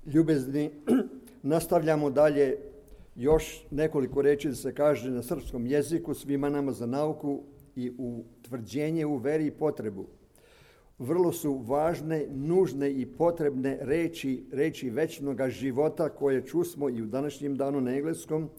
Ljubezni, nastavljamo dalje još nekoliko reči da se kaže na srpskom jeziku svima nama za nauku i utvrđenje u veri i potrebu. Vrlo su važne, nužne i potrebne reči večnog života koje čusmo i u današnjem danu na engleskom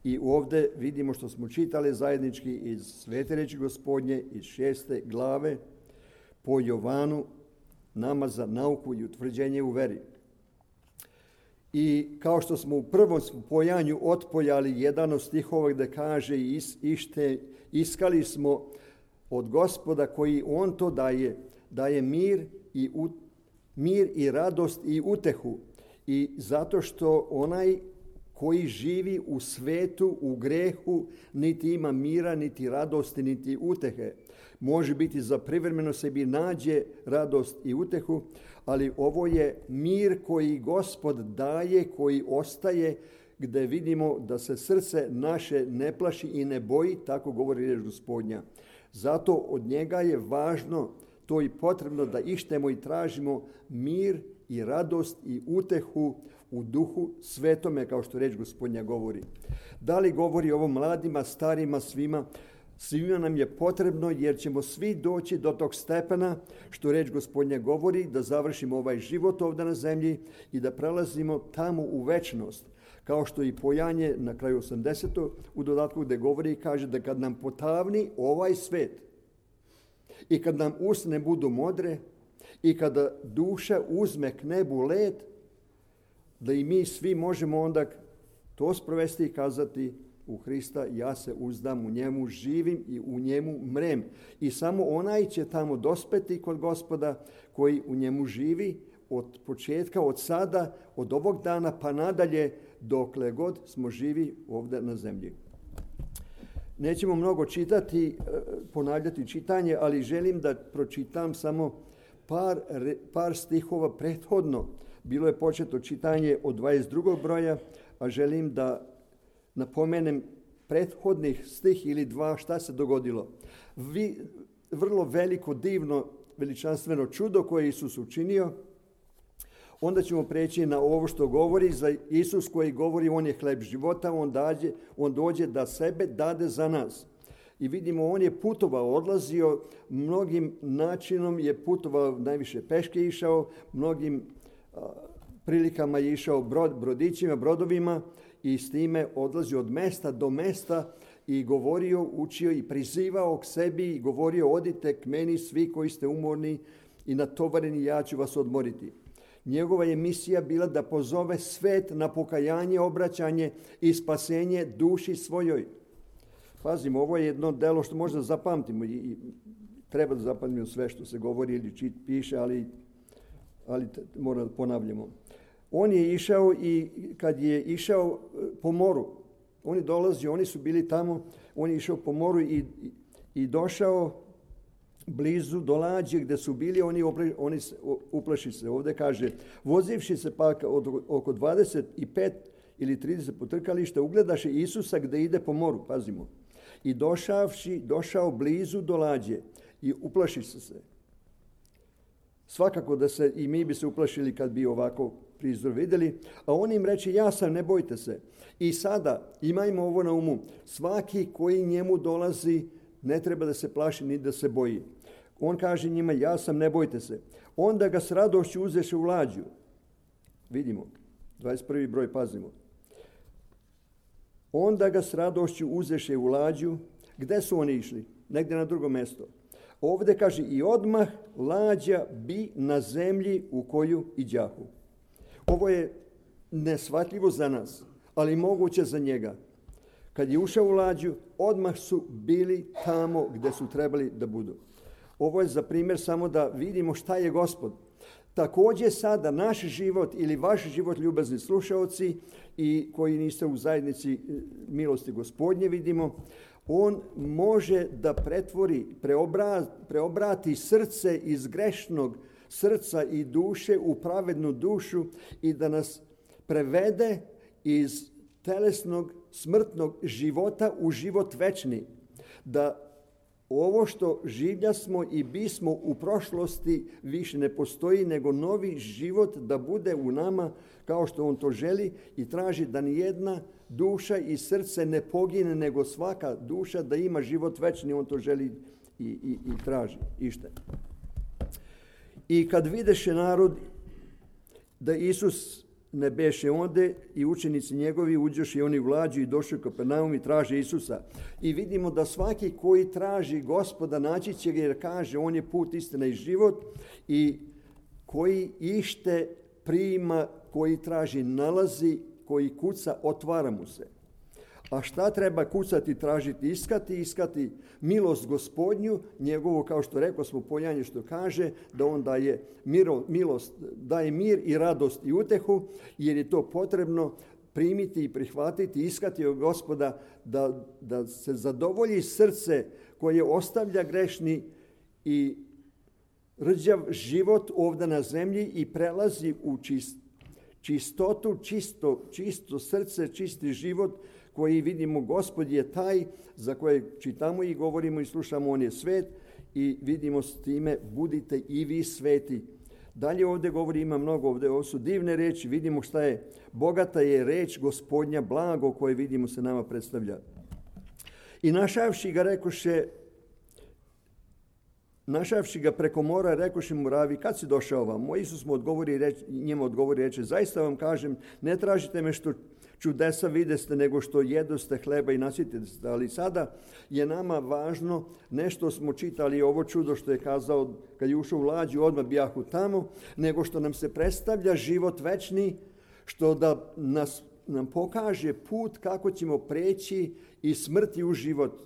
i ovdje vidimo što smo čitali zajednički iz Svete reči Gospodnje iz 6. glave po Jovanu, nama za nauku i utvrđenje u veri. I kao što smo u prvom spojanju otpoljali jedan od stihova gdje kaže iskali smo od Gospoda koji on to daje mir i radost i utehu. I zato što onaj koji živi u svetu, u grehu, niti ima mira, niti radosti, niti utehe. Može biti za privremeno sebi nađe radost i utehu, ali ovo je mir koji Gospod daje, koji ostaje, gdje vidimo da se srce naše ne plaši i ne boji, tako govori riječ Gospodnja. Zato od njega je važno, to i potrebno da ištemo i tražimo mir i radost i utehu u duhu svetome, kao što reč Gospodnja govori. Da li govori ovo mladima, starima, svima nam je potrebno jer ćemo svi doći do tog stepena što reč Gospodnja govori, da završimo ovaj život ovdje na zemlji i da prelazimo tamo u večnost. Kao što i pojanje na kraju 80. u dodatku gdje govori i kaže da kad nam potavni ovaj svet i kad nam usne budu modre i kada duša uzme k nebu let, da i mi svi možemo onda to sprovesti i kazati u Hrista, ja se uzdam, u njemu živim i u njemu mrem. I samo onaj će tamo dospeti kod Gospoda koji u njemu živi od početka, od sada, od ovog dana pa nadalje, dokle god smo živi ovdje na zemlji. Nećemo mnogo čitati, ponavljati čitanje, ali želim da pročitam samo par stihova prethodno. Bilo je početo čitanje od 22. broja, a želim da napomenem prethodnih stih ili dva šta se dogodilo. Vrlo veliko, divno, veličanstveno čudo koje Isus učinio. Onda ćemo preći na ovo što govori za Isus koji govori on je hleb života, on dođe da sebe dade za nas. I vidimo on je putovao, odlazio, mnogim načinom je putovao, najviše peške išao, mnogim prilikama je išao brodićima, brodovima i s time odlazio od mesta do mesta i govorio, učio i prizivao k sebi i govorio odite k meni svi koji ste umorni i natovareni, ja ću vas odmoriti. Njegova je misija bila da pozove svet na pokajanje, obraćanje i spasenje duši svojoj. Pazimo, ovo je jedno delo što možda zapamtimo i treba da zapamtimo sve što se govori ili piše, ali mora da ponavljamo. On je išao i kad je išao po moru, on je dolazio, oni su bili tamo, on je išao po moru i došao blizu do lađe gdje su bili, oni uplaši se. Ovdje kaže, vozivši se pak oko 25 ili 30 potrkališta, ugledaše Isusa gdje ide po moru, pazimo. I došao blizu do lađe i uplaši se. Svakako da se i mi bi se uplašili kad bi ovako prizor vidjeli, a on im reče, ja sam, ne bojte se. I sada imajmo ovo na umu, svaki koji njemu dolazi ne treba da se plaši ni da se boji. On kaže njima, ja sam, ne bojte se. Onda ga s radošću uzeše u lađu. Vidimo, 21. broj, pazimo. Onda ga s radošću uzeše u lađu. Gde su oni išli? Negdje na drugo mjesto. Ovdje kaže i odmah lađa bi na zemlji u koju iđahu. Ovo je neshvatljivo za nas, ali moguće za njega. Kad je ušao u lađu, odmah su bili tamo gdje su trebali da budu. Ovo je za primjer samo da vidimo šta je Gospod. Također sada naš život ili vaš život, ljubazni slušaoci i koji niste u zajednici milosti Gospodnje, vidimo, on može da preobrati srce iz grešnog srca i duše u pravednu dušu i da nas prevede iz telesnog smrtnog života u život večni. Da ovo što življa smo i bismo u prošlosti više ne postoji, nego novi život da bude u nama kao što on to želi i traži da nijedna duša i srce ne pogine, nego svaka duša da ima život večni, on to želi i traži. Ište. I kad videše narod da Isus ne beše onde i učenici njegovi uđoše i oni u lađu i došli u Kapernaum i traže Isusa. I vidimo da svaki koji traži Gospoda naći će ga, jer kaže on je put, istina i život, i koji ište prima, koji traži nalazi, koji kuca otvara mu se. A šta treba kucati, tražiti, iskati milost Gospodnju, njegovu, kao što rekao smo, pojanje što kaže, da on daje milost, daje mir i radost i utehu, jer je to potrebno primiti i prihvatiti, iskati od Gospoda, da se zadovolji srce koje ostavlja grešni i rđav život ovdje na zemlji i prelazi u čistotu, čisto srce, čisti život, koji vidimo Gospod je taj za koje čitamo i govorimo i slušamo, on je svet, i vidimo s time budite i vi sveti. Dalje ovdje govori, ima mnogo ovdje, ovo su divne reči, vidimo šta je, bogata je reč Gospodnja, blago koje vidimo se nama predstavlja. I našavši ga preko mora, rekoše mu ravi, kad si došao vam? Isus mu njemu odgovori, reče, zaista vam kažem, ne tražite me što čudesa videste, nego što jedoste hleba i nasitite se. Ali sada je nama važno, nešto smo čitali, ovo čudo što je kazao kad je ušao u lađu, odmah bijahu tamo, nego što nam se predstavlja život večni, što da nam pokaže put kako ćemo preći iz smrti u život.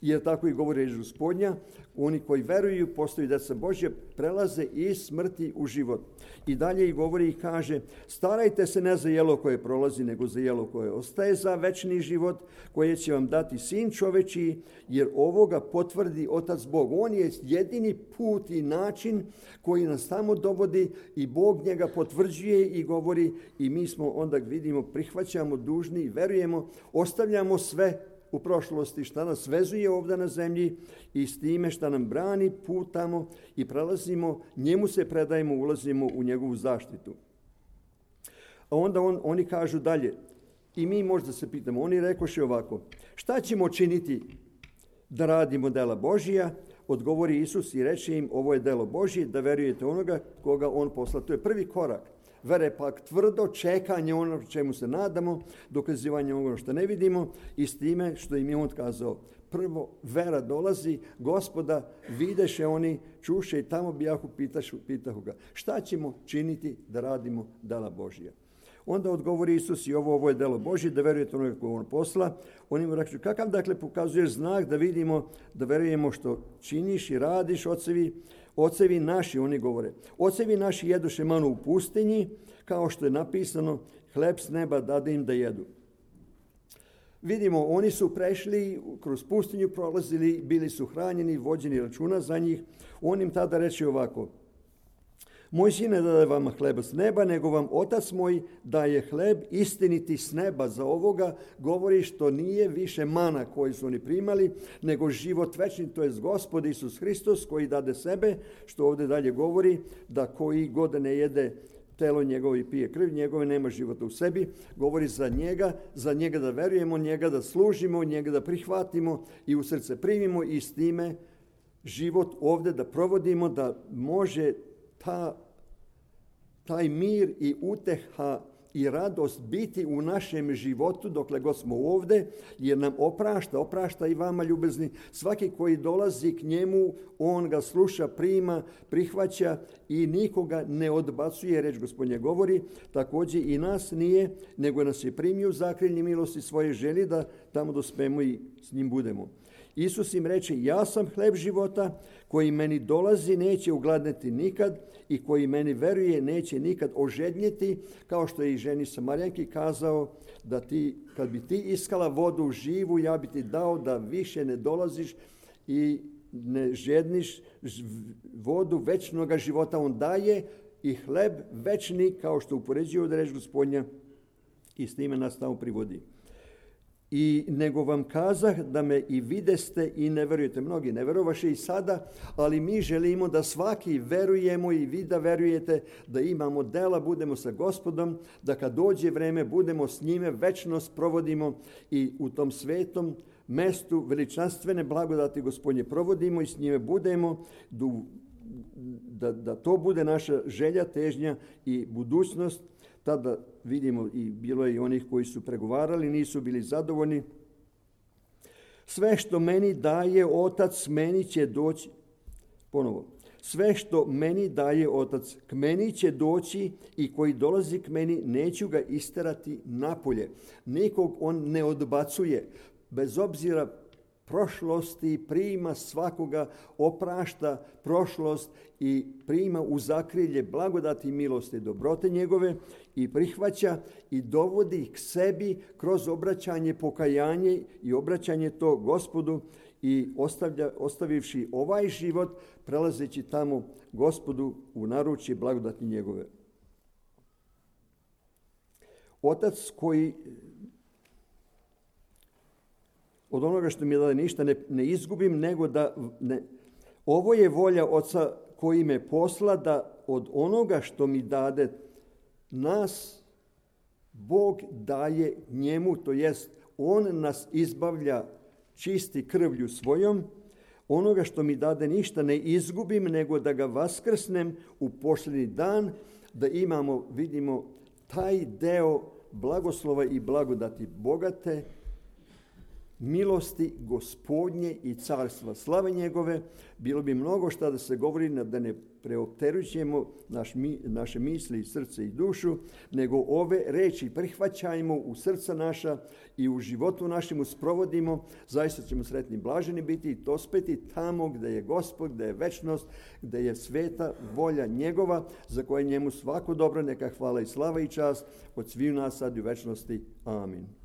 Jer tako i govori reč Gospodnja, oni koji veruju, postaju djeca Božje, prelaze iz smrti u život. I dalje i govori i kaže, starajte se ne za jelo koje prolazi, nego za jelo koje ostaje, za večni život, koje će vam dati Sin čovečiji, jer ovoga potvrdi Otac Bog. On je jedini put i način koji nas tamo dovodi i Bog njega potvrđuje i govori, i mi smo onda vidimo, prihvaćamo, dužni, verujemo, ostavljamo sve u prošlosti šta nas vezuje ovdje na zemlji i s time šta nam brani put tamo i prelazimo, njemu se predajemo, ulazimo u njegovu zaštitu. A onda oni kažu dalje, i mi možda se pitamo, oni rekoše ovako, šta ćemo činiti da radimo dela Božija? Odgovori Isus i reče im, ovo je delo Božije, da verujete onoga koga on posla. To je prvi korak. Vere pak tvrdo, čekanje ono čemu se nadamo, dokazivanje ono što ne vidimo i s time što im je on kazao. Prvo, vera dolazi, Gospoda videše oni, čuše i tamo bijahu, pitahu ga. Šta ćemo činiti da radimo dela Božija? Onda odgovori Isus i ovo je delo Božje, da verujete onoga koga on posla. Oni mu rekli, kakav dakle pokazuješ znak da vidimo, da verujemo što činiš i radiš, ocevi naši, oni govore. Ocevi naši jedoše manu u pustinji, kao što je napisano, hleb s neba dade im da jedu. Vidimo, oni su prešli, kroz pustinju prolazili, bili su hranjeni, vođeni računa za njih. On im tada reče ovako, moj sin ne daje vama hleba s neba, nego vam Otac moj daje hleb istiniti s neba. Za ovoga govori što nije više mana koju su oni primali, nego život večni, to je Gospod Isus Hristos koji dade sebe, što ovdje dalje govori, da koji god ne jede telo njegovo i pije krv njegove, nema života u sebi. Govori za njega da verujemo, njega da služimo, njega da prihvatimo i u srce primimo i s time život ovdje da provodimo, da može taj mir i uteha i radost biti u našem životu dokle god smo ovdje, jer nam oprašta i vama ljubezni. Svaki koji dolazi k njemu, on ga sluša, prima, prihvaća i nikoga ne odbacuje, reč Gospodnje govori. Također i nas nije, nego nas je primio u zakrilje milosti svoje želje da tamo dospemo i s njim budemo. Isus im reče, ja sam hleb života, koji meni dolazi neće ugladneti nikad i koji meni veruje neće nikad ožednjeti, kao što je i ženi Samarijanki kazao, da kad bi ti iskala vodu živu, ja bi ti dao da više ne dolaziš i ne žedniš vodu večnoga života. On daje i hleb večni, kao što upoređuje od reč Gospodnja, i s time nas tamo privodi. I nego vam kazah da me i videste i ne verujete. Mnogi ne verovaše i sada, ali mi želimo da svaki verujemo i vi da verujete, da imamo dela, budemo sa Gospodom, da kad dođe vreme budemo s njime, večnost provodimo i u tom svetom mestu veličanstvene blagodati Gospodnje provodimo i s njime budemo, da to bude naša želja, težnja i budućnost. Tada vidimo i bilo je i onih koji su pregovarali, nisu bili zadovoljni. Sve što meni daje Otac, meni će doći. Ponovo. Sve što meni daje Otac, k meni će doći i koji dolazi k meni, neću ga isterati napolje. Nikog on ne odbacuje. Bez obzira prošlosti, prima svakoga, oprašta prošlost i prima u zakrilje blagodati i milosti i dobrote njegove i prihvaća i dovodi k sebi kroz obraćanje, pokajanje i obraćanje to Gospodu i ostavivši ovaj život, prelazeći tamo Gospodu u naručje blagodati njegove. Otac koji od onoga što mi je dao ništa ne izgubim, nego da ovo je volja Oca koji me posla, da od onoga što mi dade nas Bog daje njemu, to jest on nas izbavlja čisti krvlju svojom, onoga što mi dade ništa ne izgubim, nego da ga vaskrsnem u posljednji dan, da imamo, vidimo, taj deo blagoslova i blagodati bogate, milosti Gospodnje i carstva slave njegove. Bilo bi mnogo šta da se govori, da ne preopterećujemo naše misli i srce i dušu, nego ove reči prihvaćajmo u srca naša i u životu našemu sprovodimo. Zaista ćemo sretni i blaženi biti i dospeti tamo gde je Gospod, gde je večnost, gde je sveta volja njegova, za koje njemu svako dobro, neka hvala i slava i čast od svih nas sad i u večnosti. Amin.